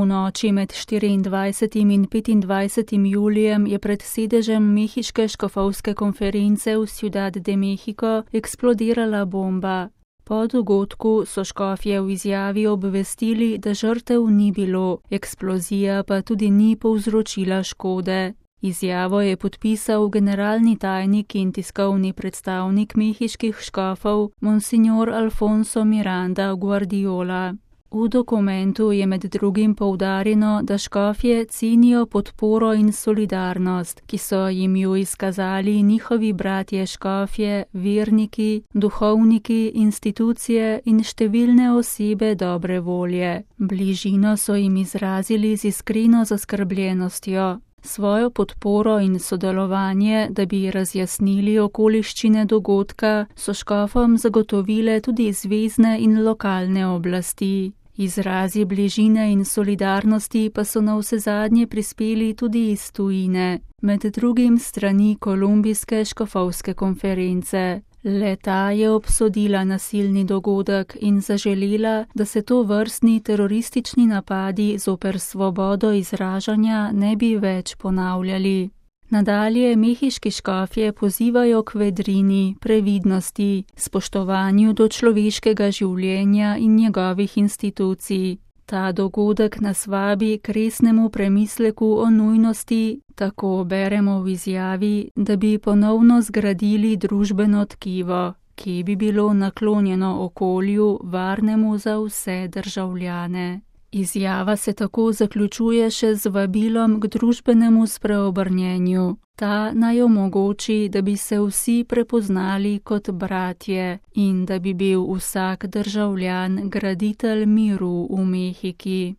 V noči med 24. in 25. julijem je pred sedežem mehiške škofovske konference v Ciudad de México eksplodirala bomba. Po dogodku so škofje v izjavi obvestili, da žrtev ni bilo, eksplozija pa tudi ni povzročila škode. Izjavo je podpisal generalni tajnik in tiskovni predstavnik mehiških škofov, monsignor Alfonso Miranda Guardiola. V dokumentu je med drugim poudarjeno, da škofje cenijo podporo in solidarnost, ki so jim jo izkazali njihovi bratje škofje, verniki, duhovniki, institucije in številne osebe dobre volje. Bližino so jim izrazili z iskreno zaskrbljenostjo. Svojo podporo in sodelovanje, da bi razjasnili okoliščine dogodka, so škofom zagotovile tudi zvezne in lokalne oblasti. Izrazi bližine in solidarnosti pa so navsezadnje prispeli tudi iz tujine, med drugim strani Kolumbijske škofovske konference. Le-ta je obsodila nasilni dogodek in zaželela, da se tovrstni teroristični napadi zoper svobodo izražanja ne bi več ponavljali. Nadalje mehiški škofje pozivajo k vedrini, previdnosti, spoštovanju do človeškega življenja in njegovih institucij. Ta dogodek nas vabi k resnemu premisleku o nujnosti, tako beremo v izjavi, da bi ponovno zgradili družbeno tkivo, ki bi bilo naklonjeno okolju, varnemu za vse državljane. Izjava se tako zaključuje še z vabilom k družbenemu spreobrnjenju. Ta naj omogoči, da bi se vsi prepoznali kot bratje in da bi bil vsak državljan graditelj miru v Mehiki.